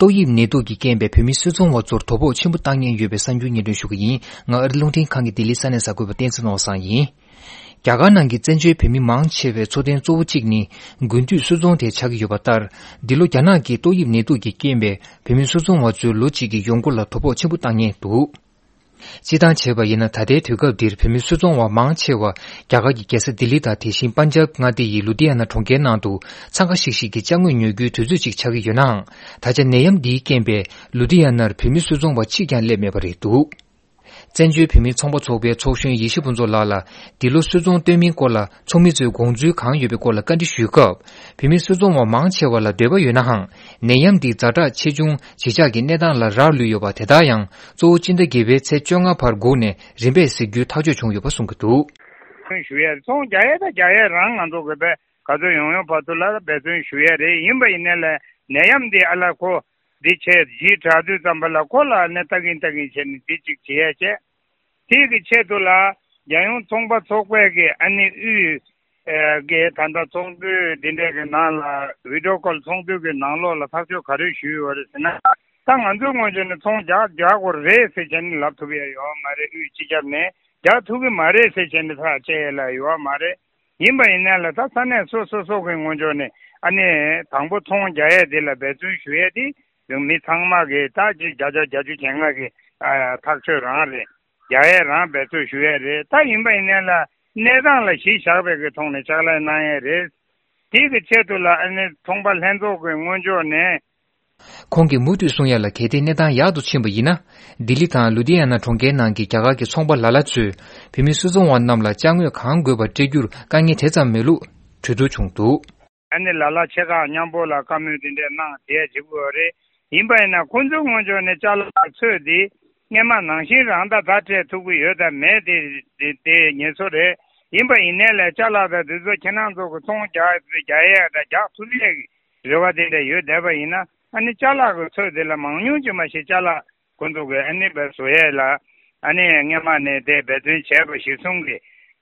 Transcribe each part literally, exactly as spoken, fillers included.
ཏོག་དབྱིབས་ནད་དུག་གིས་རྐྱེན་པས་བོད་མི་སུད་ཚོང་བ་ཚོར་དོ་ཕོག་ཆེན་པོ་བཏང་མཁན་ཡོད་པའི་གསར་འགྱུར་སྙན་སྒྲོན་ཞུ་གི་ཡིན། ང་ཨ་རི་རླུང་འཕྲིན་ཁང་གི་ལྡི་ལི་ས་གནས་གསར་འགོད་པ་བསྟན་འཛིན་ནོར་བཟང་ཡིན། རྒྱ་གར་ནང་གི་བཙན་བྱོལ་བོད་མི་མང་ཆེ་བའི་འཚོ་རྟེན་གཙོ་བོ་གཅིག་ནི་དགུན་དུས་སུད་ཚོང་དེ་ཆགས་ཀྱི་ཡོད་པ་ལྟར། འདི་ལོ་རྒྱ་ནག་གི་ཏོག་དབྱིབས་ནད་དུག་གིས་རྐྱེན་པས་བོད་མི་སུད་ཚོང་བ་ཚོའི་ལོ་གཅིག་གི་ཡོང་སྒོ་ལ་དོ་ཕོག་ཆེན་པོ་བཏང་མཁན་འདུག་སྤྱིར་བཏང་བྱས་པ་ཡིན་ན། ད་ལྟའི་དུས་སྐབས་འདིར་བོད་མི་སུད་ཚོང་བ་མང་ཆེ་བ་རྒྱ་གར་གྱི་རྒྱལ་ས་ལྡི་ལི་དང་། དེ་བཞིན་པན་ཇབ་མངའ་སྡེ་ཡི་ལུ་དྷི་ཡ་ན་གྲོང་ཁྱེར་ནང་དུ་འཚང་ཁ་ཤིག་ཤིག་གི་ཅ་དངོས་ཉོ་རྒྱུའི་དུས་ཚོད་ཅིག་ཆགས་ཀྱི་ཡོད་ནའང་། ད་ཆ་ནད་ཡམས་འདིའི་རྐྱེན་པས་ལུ་དྷི་ཡ་ནར་བོད་མི་སུད་ཚོང་བ་གཅིག་ཀྱང་སླེབས་མེད་པ་རེད་འདུག་བཙན་བྱོལ་བོད་མིའི་ཚོང་པ་ཚོགས་པའི་ཚོགས་གཞོན་ཡེ་ཤེས་ཕུན་ཚོགས་ལགས་ལ། འདི་ལོ་སུད་ཚོང་སྟོན་མིན་སྐོར་ལ་ཚོགས་མི་ཚོས་དགོངས་ཚུལ་གང་ཡོད་པའི་སྐོར་ལ་བཀའ་འདྲི་ཞུས་སྐབས། བོད་མི་སུད་ཚོང་བ་མང་ཆེ་བ་ལ་འདོད་པ་ཡོད་ནའང་། ནད་ཡམས་འདིས་ཛ་དྲག་ཆེ་ཆུང་བརྗིད་ཆགས་ཀྱི་གནས་སྟངས་ལ་རག་ལུས་ཡོད་པ། དེ་ལྟར་ཡང་གཙོ་བོ་སྤྱི་ཟླ་བརྒྱད་པའི་ཚེས་བཅོ་ལྔ་བར་སྒུག་ནས་རིམ་པས་གཟིགས་རྒྱུའི་ཐག་གཅོད་བྱུང་ཡོད་པ་གསུང་གི་འདུག་ཚོང་ཞུ་ཡས། ཚོང་རྒྱག་ཡས་དང་རྒྱག་ཡས་རང་ང་ཚོ་གི་བས་ག་ཚོད་ཡོང་ཡོང་བར་དུ་ལ་འབད་བརྩོན་ཞུ་ཡས་རེད། ཡིན་པ་ཡིན་ནའི་ལ་ནད་ཡམས་འདི་ཨ་ལ་ཁོ་འདི་བྱས་ཡིན་དྲག་དུས་ཙམ་པ་ལ་ཁོ་ལ་ནི་ལྟ་གིན་ལྟ་གིན་བྱས་ནས་འདི་གཅིག་བྱེད་ཡས་བྱས། དེ་གི་ཆེད་དུ་ལ་རྒྱལ་ཡོངས་ཚོང་པ་ཚོགས་པའི་གི་ཨ་ནི་དབུས་ཨེ་གི་ད་ལྟ་ཚོགས་འདུ་འདི་འདྲའི་གི་ནང་ལ་བི་ཌི་ཡོ་ཀོལ་ཚོགས་འདུ་གི་ནང་ལོགས་ལ་ཐག་གཅོད་ག་རེ་ཞུས་ཡོད་རེད་ཟེར་ན། ད་ང་ཚོའི་ངོས་ནས་ཚོང་རྒྱག་རྒྱག་དགོས་རེད་ཟེར་བྱས་ནས་ལབ་ཐུབ་ཡ་ཡོད་མ་རེད། དབུས་སྤྱི་ཁྱབ་ནས་རྒྱག་ཐུབ་ཀྱི་མ་རེད་ཟེར་བྱས་ནས་ཐག་བཅད་ཡ་ལ་ཡོད་མ་རེད། ཡིན་པ་ཡིན་ན་ལ་ད་ས་གནས་སོ་སོ་སོ་གི་ངོས་ཕྱོགས་ནས་ཨ་ནི་དང་པོ་ཚོང་རྒྱག་ཡས་དེ་ལ་འབད་བརྩོན་ཞུ་ཡས་དེ་མི་ཚང་མ་གི་ད་ཅིག་བརྒྱ་ཆ་བརྒྱད་ཅུ་གྱ་ལྔ་གི་ཨ་ཐག་ཆོད་རང་རེད། རྒྱག་ཡས་རང་འབད་བརྩོན་ཞུ་ཡས་རེད། ད་ཡིན་པ་ཡིན་ན་ལ་གནས་སྟངས་ལ་གཞི་བཞག་པའི་གི་ཐོག་ནས་ཕྱག་ལས་གནང་ཡས་རེད། དེ་གི་ཆེད་དུ་ལ་ཨ་ནི་ཚོང་པ་ལྷན་ཚོགས་ཀྱི་ངོས་ཕྱོགས་ནས། ཁོང་གིས་མུ་མཐུད་གསུང་ཡ་ལ། གལ་ཏེ་གནས་སྟངས་ཡག་ཏུ་ཕྱིན་པ་ཡིན་ན། ལྡི་ལི་དང་ལུ་དྷི་ཡ་ན་གྲོང་ཁྱེར་ནང་གི་རྒྱ་གར་གྱི་ཚོང་པ་ལ་ལ་ཚོས་བོད་མི་སུད་ཚོང་བ་རྣམས་ལ་ཅ་དངོས་གང་དགོས་པ་སྤྲད་རྒྱུར་དཀའ་ངལ་དེ་ཙམ་མེད་ལུགས་གྲོས་བསྡུར་བྱུང་འདུག་ཨ་ནི་ལ་ལ་ཆེ་ཁག་མཉམ་པོ་ལ་བཀའ་མོལ་དེ་འདྲས་གནང་བསྡད་བྱེད་དགོས་རེད། ཡིན་པ་ཡིན་ན་ཁོང་ཚོའི་ངོས་ཕྱོགས་ནས་ཅ་ལག་ཚོས་དེ་སྔས་མ་ནང་བཞིན་རང་ད་ད་སྤྲད་ཐུབ་ཀྱི་ཡོད་དམ་མེད་དེ་དེ་དེ་ངེས་སོ་རེད། ཡིན་པ་ཡིན་ནའི་ལས་ཅ་ལག་དང་དེ་ཚོ་ཁྱེད་རང་ཚོ་གི་ཚོང་རྒྱག་རྒྱག་ཡས་དང་རྒྱག་ཐུབ་ཡས་ཀྱི་རེ་བ་དེ་འདྲ་ཡོད་བསྡད་པ་ཡིན་ན། ཨ་ནི་ཅ་ལག་གི་ཚོས་དེ་ལ་མང་ཉུང་ཅིག་མ་ཞིག་ཅ་ལག་ཁོང་ཚོ་གི་ཨ་ནི་བས་བཟོ་ཡས་ལ་ཨ་ནི་སྔས་མ་ནས་དེ་འབད་བརྩོན་བྱས་པ་གཞིར་བཟུང་གི་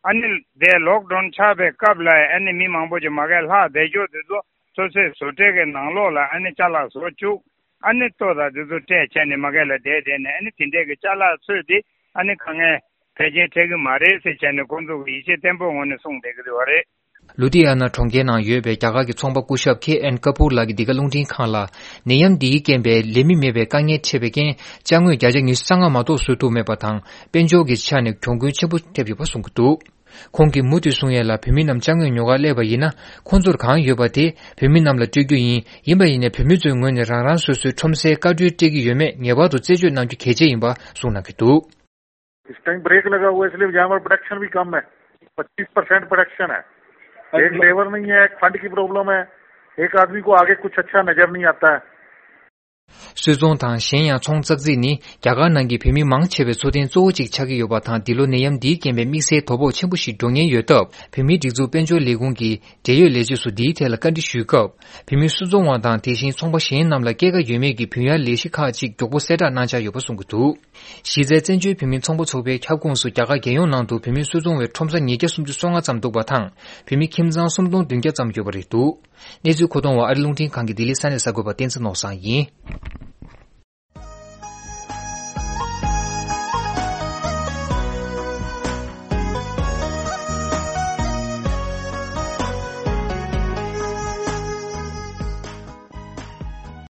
ཨ་ནི་དེ་ལོག་ཌའོན་ཆགས་པའི་སྐབས་ལ་ཨ་ནི་མི་མང་པོ་ཅིག་མ་གས་ལྷག་བསྡད་ཆོག་དེ་ཚོ་སོ་སོའི་བཟོ་གྲྭའི་གི་ནང་ལོགས་ལ་ཨ་ནི་ཅ་ལག་བཟོ་བཅུག་ཨ་ནི་ལྟོ་དང་དེ་ཚོ་སྤྲད་བྱས་ནས་མ་གས་ལ་བསྡད་བསྡད་ནས་ཨ་ནི་དེ་འདྲས་གི་ཅ་ལག་ཚོས་དེ་ཨ་ནི་དཀའ་ངལ་ཕལ་ཆེར་འཕྲད་གི་མ་རེད་ཟེར་བྱས་ནས་ཁོང་ཚོ་གི་ཡིད་ཆེས་བརྟན་པོའི་ངང་ནས་གསུངས་བསྡད་གི་རེད་བ་རེད། ལུ་དྷི་ཡ་ན་གྲོང་ཁྱེར་ནང་ཡོད་པའི་རྒྱ་གར་གྱི་ཚོང་པ་སྐུ་ཞབས་ཁེ་ཨེན་ཀ་པུར་ལགས་ཀྱིས་འདི་ག་རླུང་འཕྲིན་ཁང་ལ། ནད་ཡམས་འདིའི་རྐྱེན་པས་ལས་མི་མེད་པའི་དཀའ་ངལ་འཕྲད་པའི་རྐྱེན། ཅ་དངོས་བརྒྱ་ཆ་ཉི་ཤུ་རྩ་ལྔ་མ་གཏོགས་བཟོ་ཐུབ་མེད་པ་དང་། དཔལ་འབྱོར་གྱི་ཆ་ནས་གྱོང་གུན་ཆེན་པོ་ཐེབས་ཡོད་པ་གསུངས་ཀྱི་འདུག་ཁོང་གིས་མུ་མཐུད་གསུང་ཡས་ལ། བོད་མི་རྣམས་ཅ་དངོས་ཉོ་གར་སླེབས་པ་ཡིན་ན། ཁོང་ཚོར་གང་ཡོད་པ་དེ་བོད་མི་རྣམས་ལ་སྤྲོད་རྒྱུ་ཡིན། ཡིན་པ་ཡིན་ནའི་བོད་མི་ཚོའི་ངོས་ནས་རང་རང་སོ་སོའི་ཁྲོམ་སའི་བཀའ་འཁྲོལ་སྤྲད་ཀྱི་ཡོད་མེད་ངེས་པར་དུ་རྩད་གཅོད་གནང་རྒྱུ་གལ་ཆེ་ཡིན་པ་གསུངས་གནང་གི་འདུག इस time break लगा हुआ है, इसलिए यहाँ पर प्रोडक्शन भी कम है। पच्चीस परसेंट प्रोडक्शन है। एक लेबर नहीं है, एक फंड की प्रॉब्लम है, एक आदमी को आगे कुछ अच्छा नजर नहीं आता है। སུད་ཚོང་དང་གཞན་ཡང་ཚོང་ཙག་ཙིག་ནི་རྒྱ་གར་ནང་གི་བོད་མི་མང་ཆེ་བའི་འཚོ་རྟེན་གཙོ་བོ་གཅིག་ཆགས་ཀྱི་ཡོད་པ་དང་། འདི་ལོ་ནད་ཡམས་འདིའི་རྐྱེན་པས་དམིགས་བསལ་དོ་ཕོག་ཆེན་པོ་ཞིག་འགྲོ་ཉེན་ཡོད་སྟབས། བོད་མིའི་སྒྲིག་འཛུགས་དཔལ་འབྱོར་ལས་ཁུངས་ཀྱི་འབྲེལ་ཡོད་ལས་བྱེད་ཚོ་འདིའི་ཐད་ལ་བཀའ་འདྲི་ཞུས་སྐབས། བོད་མི་སུད་ཚོང་བ་དང་དེ་བཞིན་ཚོང་པ་གཞན་རྣམས་ལ་སྐྱེད་ཀ་ཡོད་མེད་ཀྱི་བུན་གཡར་ལས་གཞི་ཁག་ཅིག་མགྱོགས་པོ་གསལ་བསྒྲགས་གནང་འཆར་ཡོད་པ་གསུངས་ཀྱི་འདུག་གཞི་རྩའི་བཙན་བྱོལ་བོད་མིའི་ཚོང་པ་ཚོགས་པའི་ཁྱབ་ཁོངས་སུ་རྒྱ་གར་རྒྱལ་ཡོངས་ནང་དུ་བོད་མིའི་སུད་ཚོང་བའི་ཁྲོམ་ས་ཉིས་བརྒྱ་སུམ་ཅུ་སོ་ལྔ་ཙམ་འདུག་པ་དང་། བོད་མི་ཁྱིམ་ཚང་སུམ་སྟོང་བདུན་བརྒྱ་ཙམ་ཡོད་པ་རེད་འདུག་གནས་ཚུལ་མཁོ་གཏོང་བ་ཨ་རི་རླུང་འཕྲིན་ཁང་གི་ལྡི་ལི་ས་གནས་གསར་འགོད་པ་བསྟན་འཛིན་ནོར་བཟང་ཡིན།